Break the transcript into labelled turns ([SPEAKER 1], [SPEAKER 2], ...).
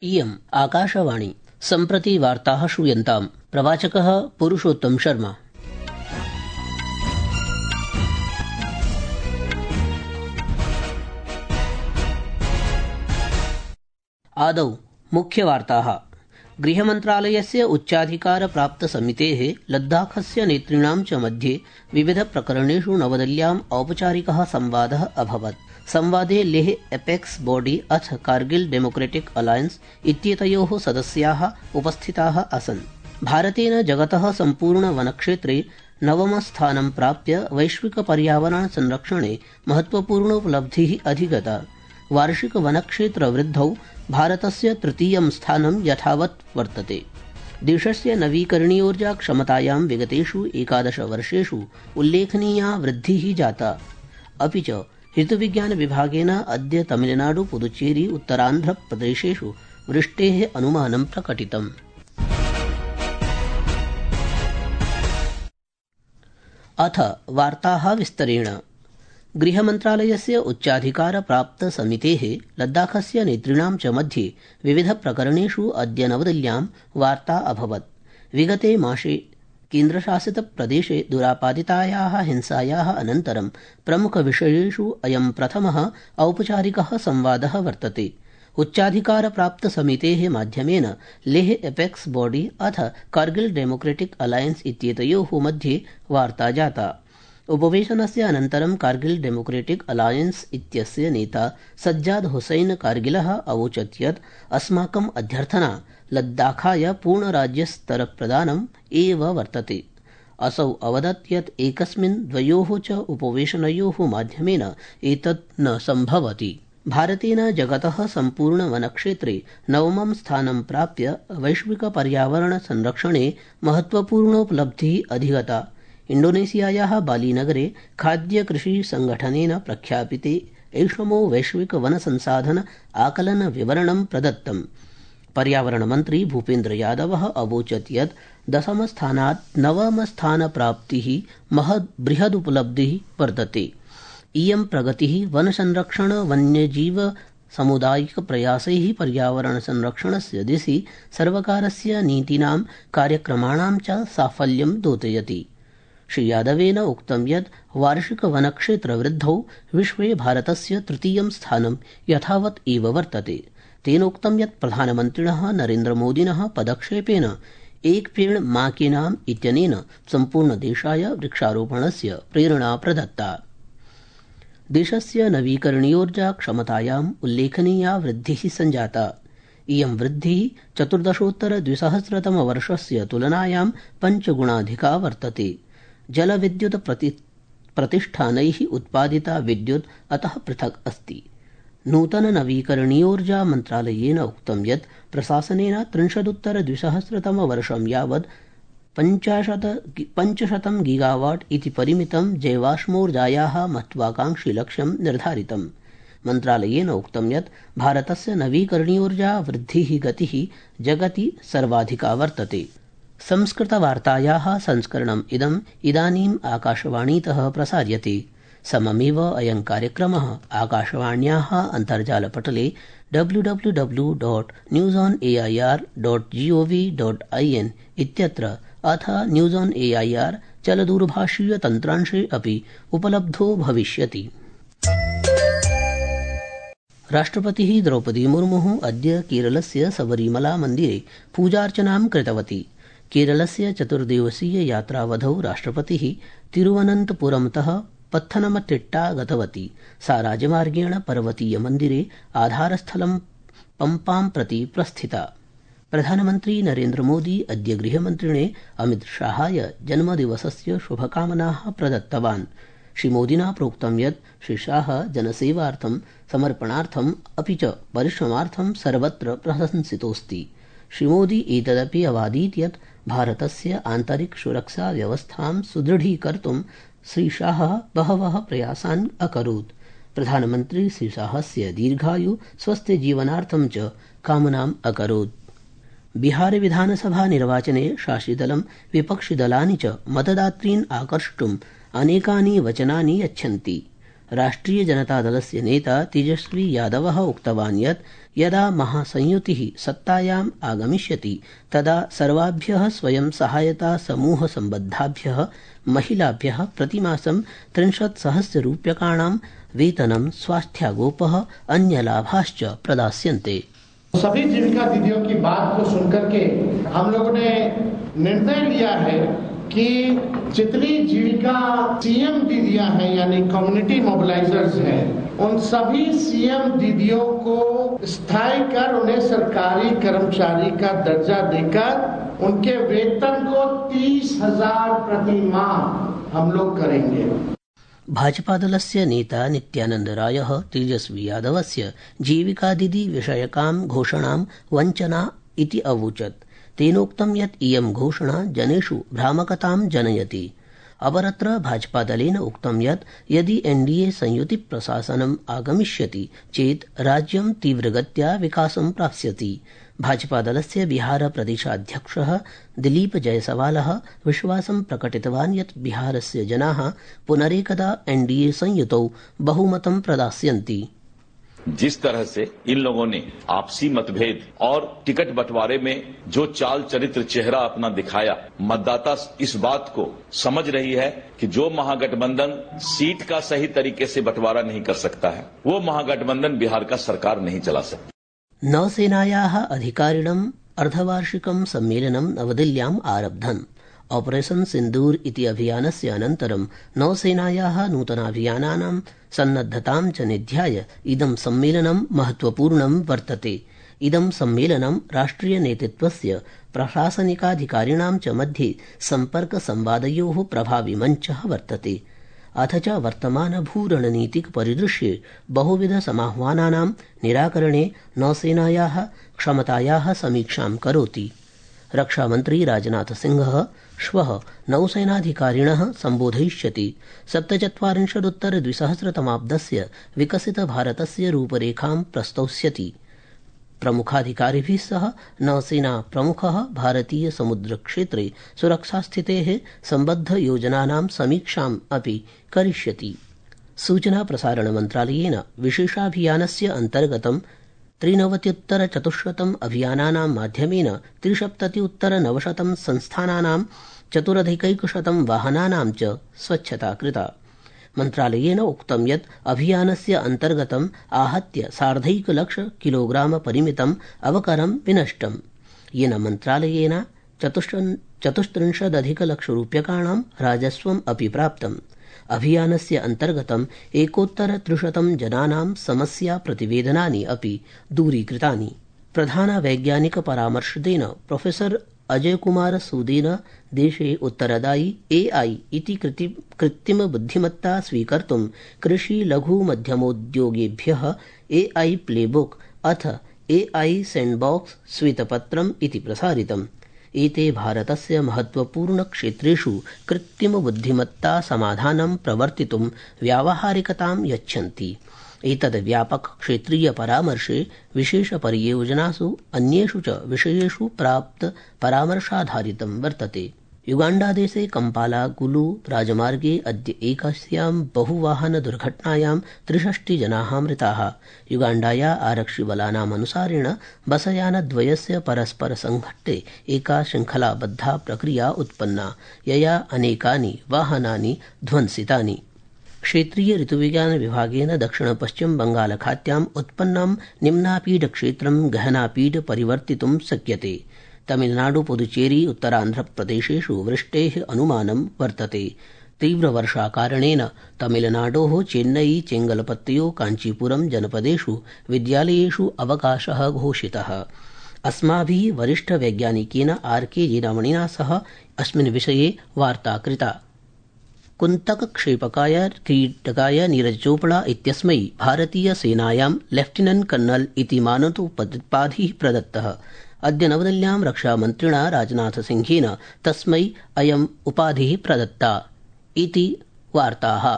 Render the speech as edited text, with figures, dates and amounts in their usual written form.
[SPEAKER 1] इयम् आकाशवाणी सम्प्रति वार्ताः श्रूयन्ताम्। प्रवाचकः पुरुषोत्तम शर्मा। आदौ मुख्यवार्ताः। गृहमन्त्रालयस्य उच्चाधिकारप्राप्तसमितेः लद्दाखस्य नेतॄणां च मध्ये विविधप्रकरणेषु नवदिल्ल्याम् औपचारिकः संवादः अभवत्। संवादे लेह एपेक्स बॉडी अथ कारगिल डेमोक्रेटिक अलायंस इत्येतयोः सदस्याः उपस्थिताः आसन्। भारतेन जगतः सम्पूर्ण वनक्षेत्रे नवमस्थानं प्राप्य वैश्विक पर्यावरण संरक्षणे महत्वपूर्णोपलब्धिः अधिगता। वार्षिक वनक्षेत्र वृद्धौ भारतस्य तृतीयं स्थानं यथावत् वर्तते। देशस्य नवीकरणीयोर्जा क्षमतायां विगतेषु 11 वर्षेषु उल्लेखनीया वृद्धिः जाता। अपि च ऋतुविज्ञान विभागेन अद्य तमिलनाडु पुदुच्चेरी उत्तरान्ध्र प्रदेशेषु वृष्टेः अनुमानं प्रकटितम्। अथ वार्ताः विस्तरेण। गृहमन्त्रालयस्य उच्चाधिकारप्राप्तसमितेः लद्दाखस्य नेतॄणां च मध्ये विविधप्रकरणेषु अद्य नवदिल्ल्यां वार्ता अभवत्। विगते मासे केन्द्रशासितप्रदेशे दुरापादितायाः हिंसायाः अनन्तरं प्रमुखविषयेषु अयं प्रथमः औपचारिकः संवादः वर्तते। उच्चाधिकारप्राप्तसमितेः माध्यमेन लेह एपेक्स बॉडी अथ कारगिल डेमोक्रेटिक अलायंस इत्येतयोः मध्ये वार्ता जाता। उपवेशनस्य अनन्तरं कारगिल डेमोक्रेटिक अलायंस इत्यस्य नेता सज्जाद हुसैन कारगिलः अवोचत् यत् अस्माकम् अध्यर्थना लद्दाखाय पूर्णराज्यस्तरप्रदानम् एव वर्तते। असौ अवदत् यत् एकस्मिन् द्वयोः च उपवेशनयोः माध्यमेन एतत् न सम्भवति। भारतेन जगतः सम्पूर्णवनक्षेत्रे नवमं स्थानं प्राप्य वैश्विकपर्यावरणसंरक्षणे महत्वपूर्णोपलब्धिः अधिगता। इण्डोनेशियायाः बालीनगरे खाद्यकृषिसङ्गठनेन प्रख्यापिते ऐषमो वैश्विकवनसंसाधन आकलनविवरणं प्रदत्तम्। पर्यावरणमन्त्री भूपेन्द्र यादवः अवोचत् यत् 10मस्थानात् 9मस्थानप्राप्तिः बृहदुपलब्धिः वर्तते। इयं प्रगतिः वनसंरक्षण वन्यजीव सामुदायिकप्रयासैः पर्यावरणसंरक्षणस्य दिशि सर्वकारस्य नीतीनां कार्यक्रमाणां च साफल्यं द्योतयति। श्री यादवेन उक्तं यत् वार्षिकवनक्षेत्रवृद्धौ विश्वे भारतस्य तृतीयं स्थानं यथावत् एव वर्तते। तेनोक्तं यत् प्रधानमन्त्रिणः नरेन्द्रमोदिनः पदक्षेपेन एक पेड़ मां के नाम इत्यनेन सम्पूर्णदेशाय वृक्षारोपणस्य प्रेरणा प्रदत्ता। देशस्य नवीकरणीयोर्जा क्षमतायाम् उल्लेखनीया वृद्धिः सञ्जाता। इयं वृद्धिः 14-2000तमवर्षस्य तुलनायां 5 गुणाधिका वर्तते। जलविद्युत् प्रतिष्ठानैः उत्पादिता विद्युत् अतः पृथक् अस्ति। नूतन नवीकरणीयोर्जा मन्त्रालयेन उक्तं यत् प्रशासनेन 30-2000तमवर्षं यावत् 500 गीगावाट् इति परिमितं जैवाश्मोर्जायाः महत्वाकांक्षी लक्ष्यं निर्धारितम्। मन्त्रालयेन उक्तं यत् भारतस्य नवीकरणीयोर्जा वृद्धिः गतिः जगति सर्वाधिका वर्तते। संस्कृतवार्तायाः संस्करणम् इदानीम् आकाशवाणीतः प्रसार्यते। सममेव अयं कार्यक्रमः आकाशवाण्याः अन्तर्जालपटले www.newsonair.gov.in इत्यत्र अथ न्यूज़ ऑन एआईआर चलदूरभाषीयतन्त्रांशे अपि उपलब्धो भविष्यति। राष्ट्रपतिः द्रौपदी मुर्मुः अद्य केरलस्य सबरीमला मन्दिरे पूजार्चनां कृतवती। केरलस्य 4 दिवसीय यात्रावधौ राष्ट्रपतिः तिरुवनन्तपुरमतः पत्थनमतिट्टा गतवती। सा राजमार्गेण पर्वतीयमन्दिरे आधारस्थलं पम्पां प्रति प्रस्थिता। प्रधानमन्त्री नरेन्द्रमोदी अद्य गृहमन्त्रिणे अमितशाहाय जन्मदिवसस्य शुभकामनाः प्रदत्तवान्। श्रीमोदिना प्रोक्तं यत् श्रीशाह जनसेवार्थं समर्पणार्थम् अपि च परिश्रमार्थं सर्वत्र प्रशंसितोऽस्ति। श्रीमोदी एतदपि अवादीत् यत् भारतस्य आन्तरिकसुरक्षाव्यवस्थां सुदृढीकर्तुं श्रीशाह बहवः प्रयासान् अकरोत्। प्रधानमन्त्री श्रीशाहस्य दीर्घायु स्वस्थजीवनार्थं च कामनाम् अकरोत्। बिहार विधानसभा निर्वाचने शासितदलं विपक्षिदलानि च मतदातॄन् आकर्षितुम् अनेकानि वचनानि यच्छन्ति। राष्ट्रिय जनतादलस्य नेता तेजस्वी यादवः उक्तवान् यत् यदा महासंयुतिः सत्तायाम् आगमिष्यति तदा सर्वाभ्यः स्वयं सहायता समूह सम्बद्धाभ्यः महिलाभ्यः प्रतिमासं 30,000 रूप्यकाणां वेतनं, स्वास्थ्यागोपः, अन्यलाभाश्च प्रदास्यन्ते।
[SPEAKER 2] सभी जीविका दीदियों की बात को सुनकर के हम लोगों ने निर्णय लिया है कि जितनी जीविका सीएम दीदियां हैं यानी कम्युनिटी मोबिलाइजर्स हैं, उन सभी सीएम दीदियों को स्थायी कर उन्हें सरकारी कर्मचारी का दर्जा देकर उनके वेतन को 30,000 प्रति माह हम लोग करेंगे।
[SPEAKER 1] भाजपादलस्य नेता नित्यानंद रायः तेजस्वी यादवस्य जीविकादिदि विषयकां घोषणां वञ्चना इति अवोचत्। तेनोक्तं यत् इयं घोषणा जनेषु भ्रामकतां जनयति। अपरत्र भाजपादलेन उक्तं यत् यदि एनडीए संयुतिप्रशासनम् आगमिष्यति चेत् राज्यं तीव्रगत्या विकासं प्राप्स्यति। भाजपादलस्य बिहारप्रदेशाध्यक्षः दिलीप जयसवालः विश्वासं प्रकटितवान् यत् बिहारस्य जनाः पुनरेकदा एनडीए संयुतौ बहुमतं प्रदास्यन्ति।
[SPEAKER 3] जिस तरह से इन लोगों ने आपसी मतभेद और टिकट बंटवारे में जो चाल चरित्र चेहरा अपना दिखाया, मतदाता इस बात को समझ रही है कि जो महागठबंधन सीट का सही तरीके से बंटवारा नहीं कर सकता है, वो महागठबंधन बिहार का सरकार नहीं चला सकता।
[SPEAKER 1] नौसेनायाः अधिकारिणम् अर्धवार्षिकं सम्मेलनं नवदिल्ल्याम् आरब्धम्। ऑपरेशन सिन्दूर इति अभियानस्य अनन्तरं नौसेनायाः नूतनाभियानानां सन्नद्धतां च निध्याय इदं सम्मेलनं महत्वपूर्णं वर्तते। इदं सम्मेलनं राष्ट्रियनेतृत्वस्य प्रशासनिकाधिकारिणां च मध्ये सम्पर्कसंवादयोः प्रभावी मञ्चः वर्तते। अथ च वर्तमानभूरणनीतिक परिदृश्ये बहुविधसमाह्वानानां निराकरणे नौसेनायाः क्षमतायाः समीक्षां करोति। रक्षामन्त्री राजनाथसिंहः श्वः नौसेनाधिकारिणः सम्बोधयिष्यति। 47-उत्तर-2000 विकसितभारतस्य रूपरेखां प्रस्तौष्यति। प्रमुखाधिकारिभिः सह नौसेना प्रमुखः भारतीय समुद्रक्षेत्रे सुरक्षास्थितेः सम्बद्धयोजनानां समीक्षाम् अपि करिष्यति। सूचना प्रसारण मन्त्रालयेन विशेषाभियानस्य अन्तर्गतं 93,400 अभियानानां माध्यमेन 73,900 संस्थानानां 4,100 वाहनानां च स्वच्छता कृता। मन्त्रालयेन उक्तं यत् अभियानस्य अन्तर्गतं आहत्य 1,50,000 किलोग्राम परिमितम् अवकरं विनष्टम्, येन मन्त्रालयेन 34,00,000 रूप्यकाणां राजस्वम् अपि प्राप्तम्। अभियानस्य अन्तर्गतं 1,300 जनानां समस्या प्रतिवेदनानि अपि दूरीकृतानि। प्रधानवैज्ञानिक परामर्शदेन प्रोफेसर अजयकुमार सूदेन देशे उत्तरदायी एआई इति कृत्रिमबुद्धिमत्ता स्वीकर्तुं कृषि लघु मध्यमोद्योगेभ्यः एआई प्लेबुक अथ एआई सैंडबॉक्स श्वेतपत्रम् इति प्रसारितम्। एते भारतस्य महत्वपूर्णक्षेत्रेषु कृत्रिमबुद्धिमत्ता समाधानं प्रवर्तितुं व्यावहारिकतां यच्छन्ति। एतद् व्यापक क्षेत्रीय परामर्शे विशेषपरियोजनासु अन्येषु च विषयेषु प्राप्त परामर्शाधारितं वर्तते। युगाण्डादेशे कम्पाला गुलू राजमार्गे अद्य एकस्यां बहुवाहनदुर्घटनायां 63 जनाः मृताः। युगाण्डाया आरक्षिबलानाम् अनुसारेण बसयानद्वयस्य परस्परसंघट्टे एका शृङ्खलाबद्धा प्रक्रिया उत्पन्ना, यया अनेकानि वाहनानि ध्वंसितानि। क्षेत्रीय ऋतुविज्ञान विभागेन दक्षिण-पश्चिम बंगालखात्याम् उत्पन्नं निम्नापीडक्षेत्रं गहनापीड परिवर्तितुं शक्यते। तमिलनाडु, पुदुचेरी, उत्तरान्ध्रप्रदेशेषु वृष्टेः अनुमानं वर्तते। तीव्रवर्षाकारणेन तमिलनाडोः चेन्नई, चेंगलपत्तयो, काञ्चीपुरम जनपदेषु विद्यालयेषु अवकाशः घोषितः। अस्माभिः वरिष्ठवैज्ञानिकेन आर्के जीरामणिना सह अस्मिन् विषये वार्ता कृता। कुन्तकक्षेपकाय क्रीडकाय नीरज चोपड़ा इत्यस्मै भारतीयसेनायां लेफ्टिनेंट कर्नल इति मानदोपाधिः प्रदत्तः। अद्य नवदिल्ल्यां रक्षामन्त्रिणा राजनाथसिंहेन तस्मै अयम् उपाधिः प्रदत्ता इति वार्ताः।